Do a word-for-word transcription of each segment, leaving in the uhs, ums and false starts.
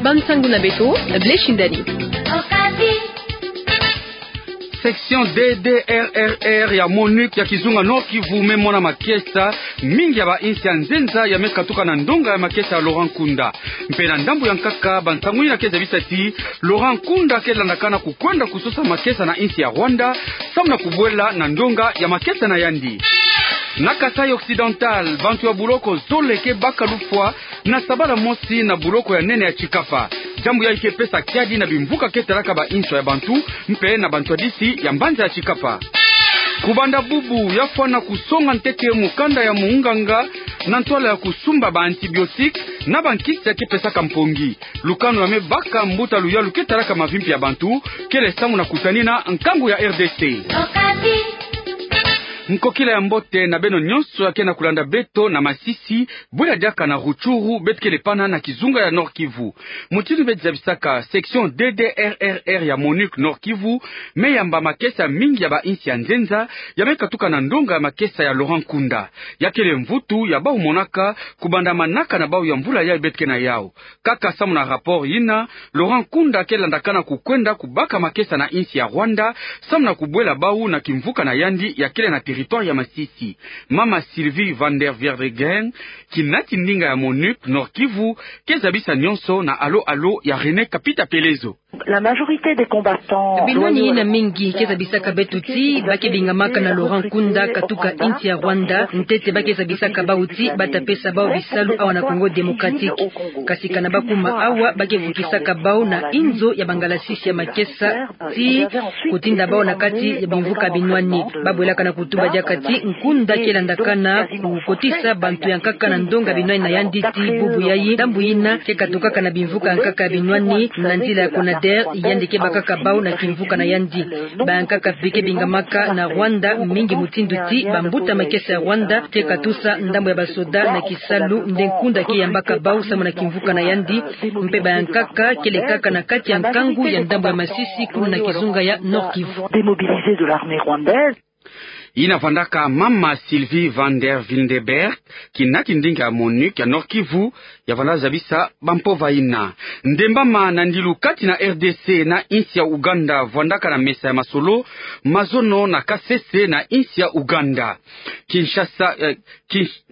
Bansangu na beto, Blaise Shindani. Section D D R R R ya MONUC ya kizunga Nord-Kivu me mona makesa mingi ya ba insi ya nzenza ya me katuka na ndonga ya makesa ya Laurent Nkunda. Mpe na ndambu ya nkaka, bansangu yina ke zabisa ti Laurent Nkunda ke landakana kukwenda kusosa makesa na insi ya Rwanda, samu na kubwela na ndonga ya makesa na yandi. Na Kasaï Occidental, bantu ya buloko zole ke baka lufwa na sabala mosi na buloko ya nene ya Tshikapa. Diambu yayi ke pesa kiadi na bimvuka ke talaka ba inswa ya bantu, mpe na bantwadisi ya mbanza ya Tshikapa. Kubanda bubu, ya fwana kusonga ntete mukanda ya munganga na ntwala ya kusumba ba antibiotiques na bankisi ya ke pesaka mpongi. Lukanu ya me baka mbuta luyalu ke talaka mavimpi ya bantu, kele samu na kutanina nkangu ya R D C. Nkokila ya mbote na beno nyonso ya ke na kulanda beto na masisi, bwela diaka na Rutshuru, beto kele pana na kizunga ya Nord-Kivu. Mutindu beto zabisaka, section D D R R R ya MONUC Nord-Kivu me yamba makesa mingi ya ba insi ya nzenza ya me katuka na ndonga ya makesa ya Laurent Nkunda. Ya kele mvutu ya bau monaka kubanda manaka na bau ya mvula yayi beto ke na yau. Kaka samu na rapport yina, Laurent Nkunda ke landakana kukwenda kubaka makesa na insi ya Rwanda, samu na kubwela bau na kimvuka na yandi ya kele na territoire ya Masisi. Mama Sylvie van der Verdegen, kinati ndinga ya MONUC Nord-Kivu, ke zabisa nyonso na Alo Alo ya René Kapita Pelezo. La majorité des combattants. Binwani yina mingi ke zabisaka beto ti ba ke bingamaka na Laurent Nkunda katuka insi ya Rwanda, ntete ba ke zabisaka bau ti ba ta pesa bau bisalu awa na Congo Démocratique. Kasi kana ba kuma awa, ba ke vukisaka bau na inzo ya bangalasisi ya makesa ti kutinda bau na kati ya bimvuka binwani. Ba bwelaka na kutuba diaka ti Nkunda ke landakana kukotisa bantu ya nkaka na ndonga binwani na yandi ti bubu yayi, ndambu yina ke katukaka na bimvuka ya nkaka binwani na nzila ya CONADER, yandi ke bakaka bau na kimvuka na yandi. Ba ya nkaka bi ke bingamaka na Rwanda mingi mutindu ti bambuta makesa ya Rwanda ke katusa ndambu ya basoda na kisalu nde Nkunda ke yambaka bau samu na kimvuka na yandi. Mpe ba ya nkaka kele kaka na kati ya nkangu ya ndambu ya Masisi, kuna na kizunga ya Nord-Kivu. Démobilisés de l'armée rwandaise. Yina vandaka mama Sylvie van der Wildenberg, kinati ndinga ya MONUC ya Nord-Kivu, ya vanda zabisa bampova yina. Ndembama na ndilu kati na R D C na insi ya Uganda vandaka na mesa ya masolo mazono na Kasese na insi ya Uganda. Kinshasa, eh, Kinsh-,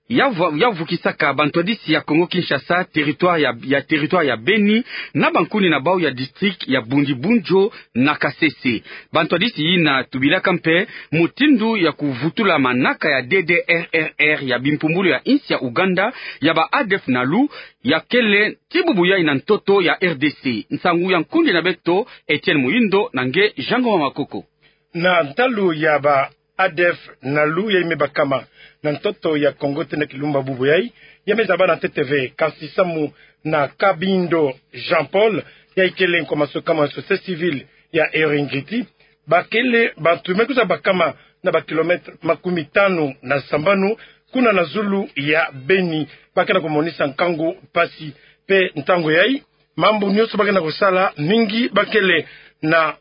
ya vu-, ya vukisaka bantwadisi ya Congo Kinshasa, territoire ya, ya territoire ya Beni, na bankuni na bau ya district ya Bundibugyo na Kasese. Bantwadisi yina tubilaka mpe mutindu ya kuvutula manaka ya D D R R R ya bimpumbulu ya insi ya Uganda ya ba A D F Nalu, ya kele ti bubu yayi na ntoto ya R D C. Nsangu ya nkundi na beto, Etienne Muhindo na nge Jean Ngoma Makoko. Na ntalu ya ba A D F Nalu yayi me bakama na ntoto ya Congo tena kilumba bubu yayi, ya me zaba na ntete ve, kasi samu na Kabindo Jean-Paul, yayi kele nkwa masuka ma société civile ya Eringeti, ba kele bantu me kwiza bakama na ba kilomètre makumi tanu na sambanu kuna na zulu ya Beni, ba ke na kumonisa nkangu, mpasi mpe ntangu yayi, mambu nyonso ba ke na kusala mingi ba kele na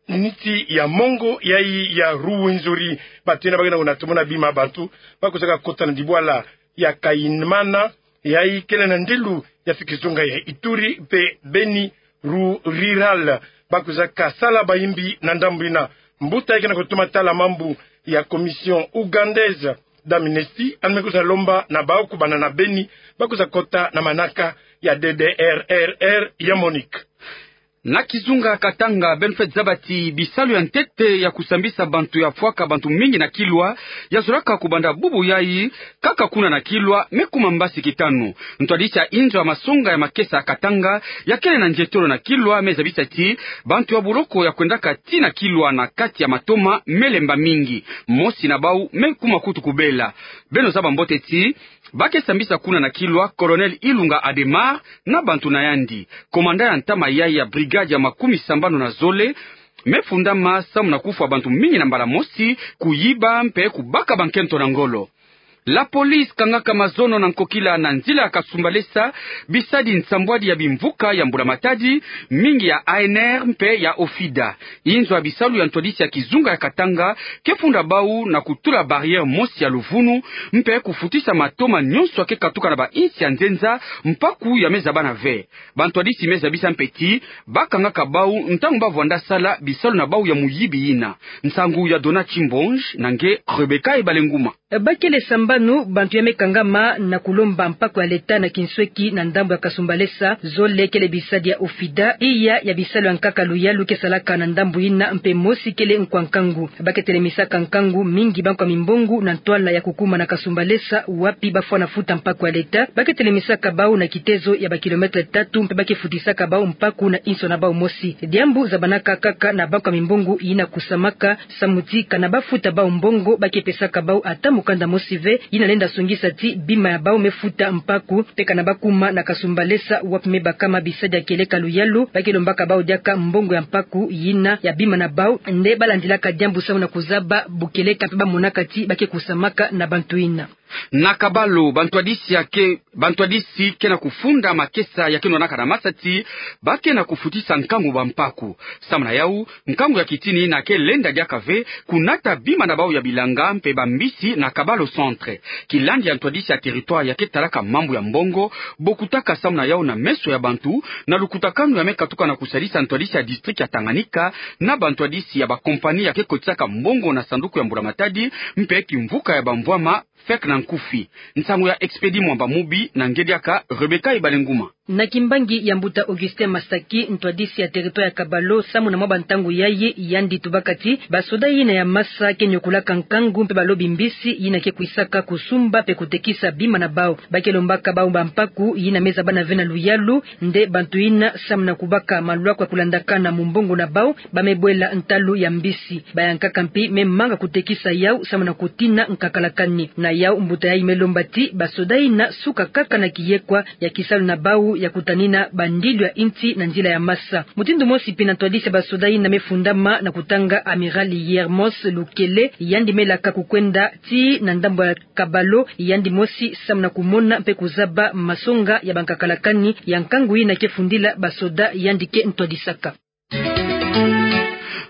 niti ya mongo yayi ya Rwenzori. Bantu yina ba ke na kunatuma na bima bantu ba kwizaka kota na dibwala ya Kayimana, yayi kele na ndelu ya fi kizunga ya Ituri mpe Beni Rurale. Ba kwizaka sala bayimbi na ndambu yina. Mbuta yayi ke na kutuma tala mambu ya Commission ougandaise d'amnistie, yandi me kwiza lomba na bau kubanda na Beni ba kwiza kota na manaka ya D D R R R ya MONUC. Na kizunga Katanga, beno fweti zaba ti bisalu ya ntete ya kusambisa bantu ya fwaka bantu mingi na kilwa, ya zolaka kubanda bubu yayi, kaka kuna na kilwa, me kuma mbasi kitanu. Ntwadisi ya inzo ya masonga ya makesa ya Katanga, ya kele na nzietolo na kilwa, me zabisa ti bantu ya buloko ya kwendaka tii na kilwa na kati ya matoma me lemba mingi. Mosi na bau me kuma kutu kubela. Beno zaba mbote ti ba ke sambisa kuna na kilwa Colonel Ilunga Adhémar na bantu na yandi. Commandant ya ntama yayi ya brigade ya makumi sambanu na zole me fundama samu na kufwa bantu mingi na mbala mosi, kuyiba mpe kubaka bankento na ngolo. La police kangaka mazono na nkokila na nzila ya Kasumbalesa bisadi nsambwadi ya bimvuka ya Mbula Matadi, mingi ya A N R mpe ya OFIDA. Inzo ya bisalu ya ntwadisi ya kizunga ya Katanga ke funda bau na kutula barrière mosi ya luvunu, mpe kufutisa matoma nyonso ya ke katuka na bainsi ya nzenza mpaku ya me zabana ve. Bantwadisi me zabisa mpe ti ba kangaka bau ntangu ba vwanda sala bisalu na bau ya muyibi yina. Nsangu ya Dona Chimbonge na nge Rebecca Ebalenguma. Bakele sambanu bantu ya me kangama na kulomba mpaku ya leta na kinsweki na ndambu ya Kasumbalesa, zole kele bisadi ya OFIDA, iya ya bisalu ya nkaka luyalu ke salaka na ndambu yina, mpe mosi kele nkwa nkangu. Ba ke telemisaka nkangu mingi bankwa mimbongo na ntwala ya kukuma na Kasumbalesa, wapi ba fwana futa mpaku ya leta. Ba ke telemisaka bau na kitezo ya ba kilomètre tatu, mpe ba ke futisaka bau mpaku na inso na bau mosi. Diambu zabanaka kaka na bankwa mimbongo yina kusamaka, samu ti kana ba futa bau mbongo, ba ke pesaka bau ata mukanda mosi ve yina lenda songisa ti bima ya bau me futa mpaku. Mpe kana ba kuma na Kasumbalesa, wapi me bakama bisadi ya kieleka luyalu, ba ke lombaka bau diaka mbongo ya mpaku yina ya bima na bau. Nde ba landilaka diambu samu na kuzaba bukieleka mpe ba monaka ti ba ke kusamaka na bantu yina. Na Kabalo, bantwadisi ya ke, bantwadisi ke na kufunda makesa ya ke nwanaka na masa ti ba ke na kufutisa nkangu ba mpaku. Samu na yau, nkangu ya kitini yina ke lenda diaka ve kunata bima na bau ya bilanga mpe bambisi na Kabalo Centre. Kilandi ya ntwadisi ya territoire ya ke talaka mambu ya mbongo bokutaka samu na yau na meso ya bantu, na lukutakanu ya me katuka na kusadisa ntwadisi ya district ya Tanganyika na bantwadisi ya ba compagnie ya ke kotisaka mbongo na sanduku ya Mbula Matadi mpe kimvuka ya bamvwama, fek na nkufi. Nsangu ya Expedit Mwamba Mubi na nge diaka Rebecca Ebalenguma. Na kimbangi ya mbuta Augustin Masaki, ntwadisi ya territoire ya Kabalo, samu na mwa bantangu yayi, yandi tubaka ti basoda yina ya masa ke nyokulaka nkangu mpe balobi mbisi yina ke kwisaka kusumba mpe kutekisa bima na bau. Ba ke lombaka bau ba mpaku yina me zabana ve na luyalu. Nde bantu yina, samu na kubaka malwaku ya kulandakana mu mbongo na bau, ba me bwela ntalu ya mbisi. Bayankaka mpi me manga kutekisa yau samu na kutina nkakalakani. Na yau mbuta yayi me lomba ti basoda yina suka kaka na kiyekwa ya kisalu na bau ya kutanina bandilu ya insi na nzila ya masa. Mutindu mosi mpi na ntwadisi ya basoda yina me fundama na kutanga Amiral Yermos Lukele, yandi me laka kukwenda ti na ndambu ya Kabalo yandi mosi samu na kumona mpe kuzaba masonga ya bankakalakani ya nkangu yina ke fundila basoda yandi ke ntwadisaka.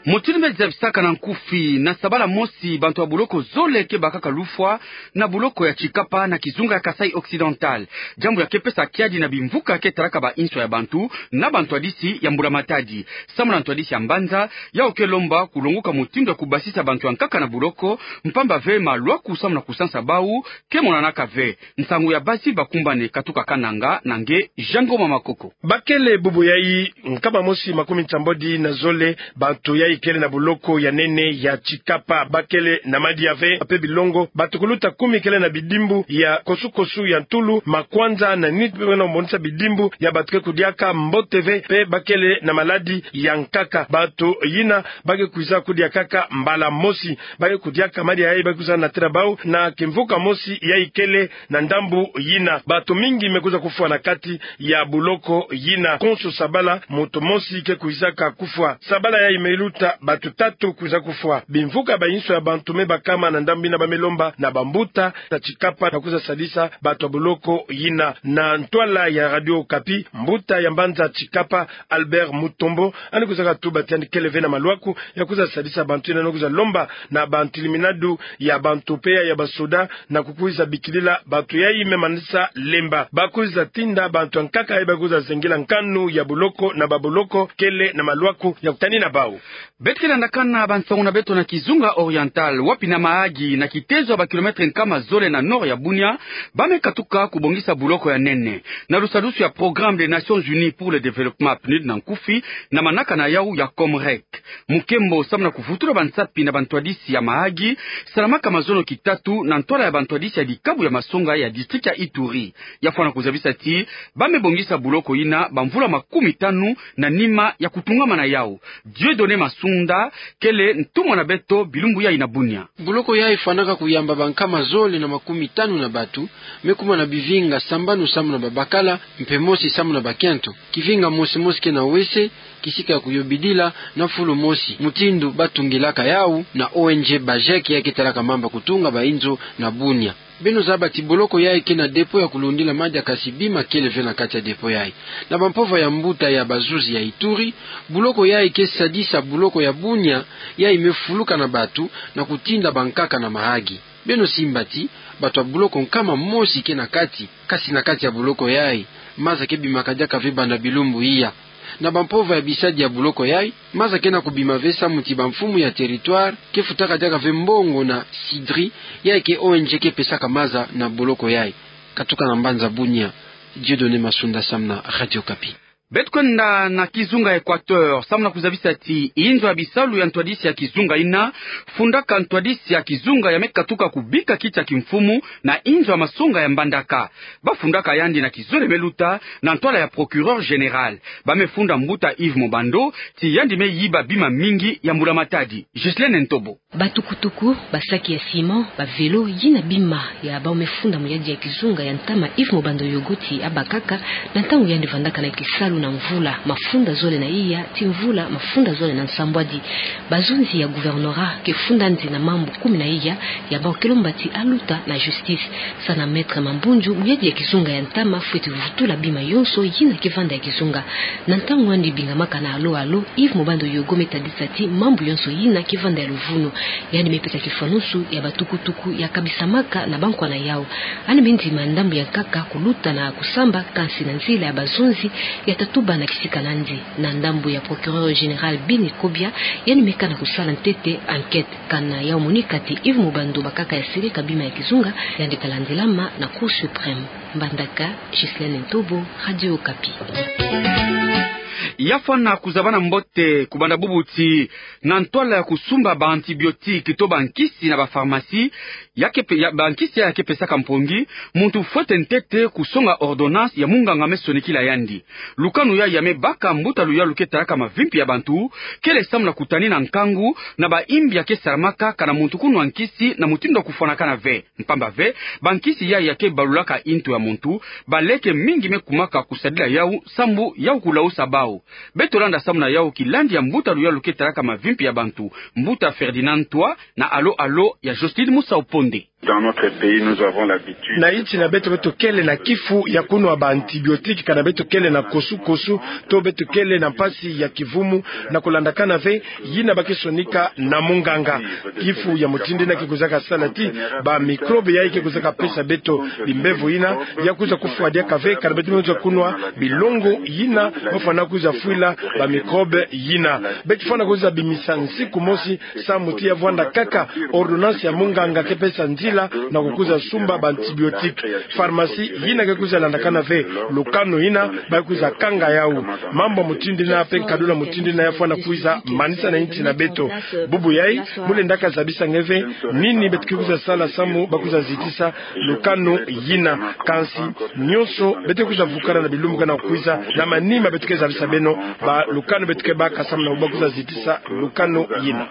Mutindu me zabisaka na nkufi, na sabala mosi bantu ya buloko zole ke bakaka lufwa na buloko ya Tshikapa na kizunga ya Kasaï Occidental. Diambu ya ke pesa kiadi na bimvuka ke talaka ba inso ya bantu na bantwadisi ya Mbula Matadi. Samu na ntwadisi ya mbanza, yau ke lomba kulonguka mutindu ya kubasisa bantu ya nkaka na buloko, mpamba ve malwaku samu na kusansa bau ke monanaka ve. Nsangu ya Basil Bakumbane, katuka Kananga, na nge Jean Ngoma Makoko. Bakele bubu yayi nkama mosi makumi nsambwadi na zole bantu yayi kele na buloko ya nene ya Tshikapa. Bakele na madia ve mpe bilongo. Batukuluta kumi kele na bidimbu ya kosukosu ya ntulu, makwanza na nit mpe na monisa bidimbu ya bato ke kudiaka mbote ve, mpe bakele na maladi ya nkaka. Bato yina ba ke kwiza kudia kaka mbala mosi. Ba ke kudiaka madia yayi ba ke kwiza natila bau na kimvuka mosi yayi kele na ndambu yina. Bato mingi me kwiza kufwa na kati ya buloko yina. Konso sabala, moto mosi ke kwizaka kufwa. Sabala yayi me luta, bato tatu kwiza kufwa. Bimvuka ba inso ya bantu me bakama na ndambu yina, ba me lomba na bambuta na Tshikapa na kwiza sadisa bato ya buloko yina. Na ntwala ya Radio Okapi, mbuta ya mbanza Tshikapa, Albert Mutombo, yandi kwizaka tuba ti yandi kele ve na malwaku ya kwiza sadisa bantu yina, na kwiza lomba na bantiliminadu ya bantu mpe ya, ya basoda na kukwiza bikilila bato yayi me manisa lemba. Ba kwiza tinda bantu ya nkaka yayi ba kwiza zengila nkanu ya buloko na babuloko kele na malwaku ya kutanina bau. Beto ke landakana bansangu na beto na kizunga oriental, wapi na Mahagi, na kitezo ya ba kilomètre nkama zole na nord ya Bunia, ba me katuka kubongisa buloko ya nene. Na lusadusu ya Programme des Nations Unies pour le Développement, PNUD na nkufi, na manaka na yau ya COMREC. Mukembo samu na kuvutula bansapi na bantwadisi ya Mahagi, salamaka mazono kitatu na ntwala ya bantwadisi ya dikabu ya masonga ya district ya Ituri. Ya fwana kuzabisa ti ba me bongisa buloko yina bamvula makumi tanu na nima ya kutungama na yau. Dieudonné Masunda kele ntumwa na beto bilumbu yayi na Bunia. Buloko yayi fwanaka kuyamba bankama zole na makumi tanu na bato, me kuma na bivinga sambanu samu na babakala, mpe mosi samu na bakento. Kivinga mosi mosi ke na wese, kisika ya kuyobidila, na fulu mosi, mutindu ba tungilaka yau na O N G BAJEC yayi ke talaka mambu ya kutunga ba inzo na Bunia. Beno zaba ti boloko yayi ke na dépôt ya kulundila madiakasi bima kele ve na kati ya dépôt yayi. Na bampova ya mbuta ya bazuzi ya Ituri, boloko yayi ke sadisa boloko ya Bunia, yayi me fuluka na batu na kutinda bankaka na Mahagi. Beno simba ti bato ya boloko nkama mosi ke na kati, kasi na kati ya boloko yayi, maza ke bimaka diaka ve banda bilumbu iya. Na bampova ya bisadi ya boloko yayi, maza ke na kubima ve samu ti bamfumu ya territoire ke futaka diaka ve mbongo na CDRI, yayi ke O N G ke pesaka maza na boloko yayi. Katuka na mbanza Bunia, Dieudonné Masunda samu na Radio Okapi. Beto kwenda na kizunga Equateur, samu na kuzabisa ti inzo ya bisalu ya ntwadisi ya kizunga ina fundaka ntwadisi ya kizunga ya me katuka kubika kiti ya kimfumu na inzo ya masonga ya Mbandaka. Ba fundaka yandi na kizole me luta na ntwala ya procureur général. Ba me funda mbuta Yves Mobando ti yandi me yiba bima mingi ya mbula matadi. Ghislaine Ntobo. Batukutuku, basaki ya ciment, bavelo, yina bima ya bau me funda muyadi ya kizunga ya ntama Yves Mobando Yogo ti abakaka na ntangu yandi vandaka na kisalu na mvula mafunda zole na iya ti mvula mafunda zole na nsambwadi. Bazonzi ya gouvernorat ke funda nzi na mambu kumi na iya ya bau ke lomba ti aluta na justice. Sana Maître Mambundju, muyadi ya kizunga ya ntama fweti vutula bima yonso yina ke vanda ya kizunga. Na ntangu yandi bingamaka na alo alo, Yves Mobando Yogo me tadisa ti mambu yonso yina ke vanda ya luvunu. Yandi me pesa kifwanusu ya batukutuku ya kabisamaka na bankwa na yau. Yandi me ndima ndambu ya nkaka kuluta na kusamba, kansi na nzila ya bazonzi ya tatuba na kisika nandi. Na ndambu ya procureur général Bini Kobia, yandi me kana kusala ntete enquête. Kana yau monika ti Yves Mobando bakaka ya sirika bima ya kizunga, yandi ta landilama na Cour suprême. Mbandaka, Ghislaine Ntobo, Radio Okapi. Ya fwana kuzabana mbote, kubanda bubu ti na ntwala ya kusumba ba antibiotiques to bankisi na ba pharmacie, ya ke pe-, ya, bankisi ya ke pesaka mpongi, muntu fwete ntete kusonga ordonnance ya munganga me sonikila yandi. Lukanu ya ya me baka mbuta luyalu ke talaka mavimpi ya bantu, kele samu na kutani na nkangu na ba imbi ya ke salamaka kana muntu kunwa nkisi na mutindu ya kufwanakana ve. Mpamba ve, bankisi ya ya ke balulaka intu ya muntu, baleke mingi me kumaka kusadila yau, sambu yau kulausa bau. Beto landa samu na yau kilandi ya mbuta luyalu ke talaka mavimpi ya bantu, mbuta Ferdinand Ntwa, na alo alo ya Jocelyne Musau Ponde. Dans notre pays, nous avons l'habitude. Na insi na beto, beto kele na kifu ya kunwa ba antibiotiques kana beto kele na kosu-kosu, to beto kele na mpasi ya kivumu, na kulandakana ve yina ba ke sonika na munganga. Kifu ya mutindu yina ke kwizaka sala ti ba microbes yayi ke kwizaka pesa beto bimbevo yina ya kwiza kufwa diaka ve kana beto me kwiza kunwa bilongo yina ba fwana kwiza fwila ba microbes yina. Beto fwana kwiza bimisa nsiku mosi samu ti ya vwanda kaka ordonnance ya munganga ke pesa nzila na kukwiza sumba ba antibiotiques. Pharmacie yina ke kwiza landakana ve lukanu yina, ba kwiza kanga yau. Mambu ya mutindu yina pe nkadula mutindu yina ya fwana kwiza manisa na insi na beto. Bubu yayi, mu lenda kazabisa nge ve nini beto ke kwiza sala samu ba kwiza zitisa lukanu yina. Kansi nionso beto ke kwiza vukana na bilumbu ke na kwiza, na manima beto ke zabisa beno ba lukanu beto ke baka samu na ba kwiza zitisa lukanu yina.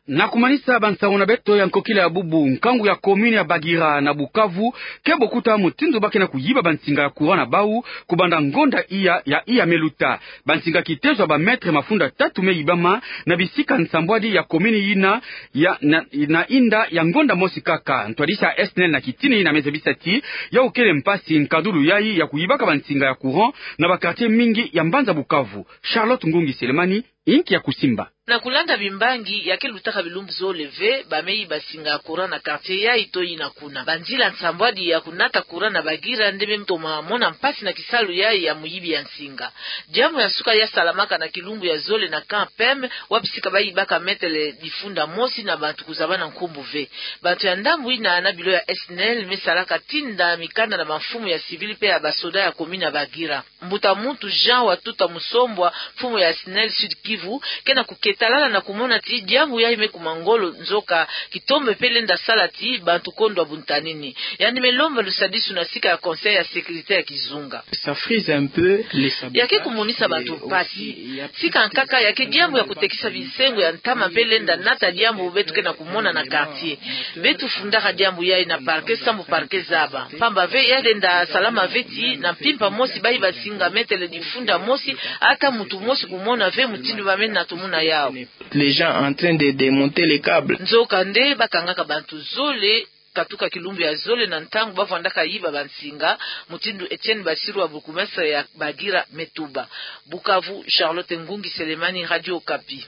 Na kumanisa bansangu na beto ya nkokila ya bubu, nkangu ya commune ya Bagira na Bukavu ke bokuta mutindu ba ke na kuyiba bansinga ya courant na bau, kubanda ngonda iya ya iya me luta. Bansinga kitezo ya ba mètres mafunda tatu me yibama na bisika nsambwadi ya commune yina ya, na, na inda ya ngonda mosi kaka. Ntwadisi ya S N E L na kitini yina me zabisa ti yau kele mpasi nkadulu yayi ya kuyibaka bansinga ya courant na ba quartiers mingi ya mbanza Bukavu. Charlotte Ngungi Selemani, inki ya kusimba. Na kulanda bimbangi ya ke lutaka bilumbu zole ve, ba me yiba singa ya courant na quartier yayi to yina kuna. Banzila nsambwadi ya kunata courant na Bagira nde me toma mona mpasi na kisalu yayi ya muyibi ya nsinga. Diambu ya nsuka ya salamaka na kilumbu ya zole na camp P M, wapi sika ba yibaka mètres difunda mosi na bantu kuzabana nkumbu ve. Bantu ya ndambu yina na bilo ya S N E L me salaka tinda mikanda na bamfumu ya civil pe ya basoda ya commune ya Bagira. Mbuta muntu Jean Watuta Musombwa, mfumu ya S N E L Sud-Kivu, ke na kuketalala na kumona ti diambu yayi me kuma ngolo, nzoka kitombe pe lenda sala ti bantu kondwa buntanini. Yandi me lomba lusadisu na sika ya Conseil ya sécurité ya kizunga. Ça frise un peu les sabotages. Ya ke kumonisa bantu mpasi. Sika nkaka ya ke diambu ya kutekisa binsengo ya ntama pe lenda nata diambu beto ke na kumona na quartier. Beto fundaka diambu yayi na parquet sambu parquet zaba. Mpamba ve ya lenda salama ve ti na mpimpa mosi ba yiba singa mètres difunda mosi, ata muntu mosi kumona ve mutindu Bamene na tomona yawu. Les gens en train de démonter les câbles. Nzokande bakangaka bantu zole katuka kilumbu ya zole na ntangu bavwandaka yiba bansinga, mutindu Etienne Bassirou wa bourgmestre ya Bagira me tuba. Bukavu, Charlotte Ngungi Selemani, Radio Okapi.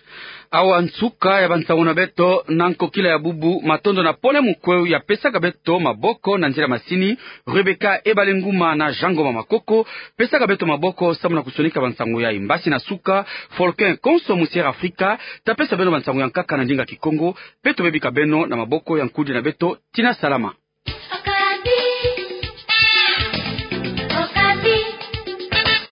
Awa nsuka ya bansangu na beto na nkokila ya bubu. Matondo na Pole Mukweu ya pesaka beto maboko na nzila masini, Rebecca Ebale Nguma na Jean Ngoma Makoko pesaka beto maboko samu na kusonika bansangu yayi. Mbasi na suka, Volcan konso musi Air Afrika ta pesa beno bansangu ya nkaka na ndinga Kikongo, pe tobebika beno na maboko ya nkudi na beto. Tina salama.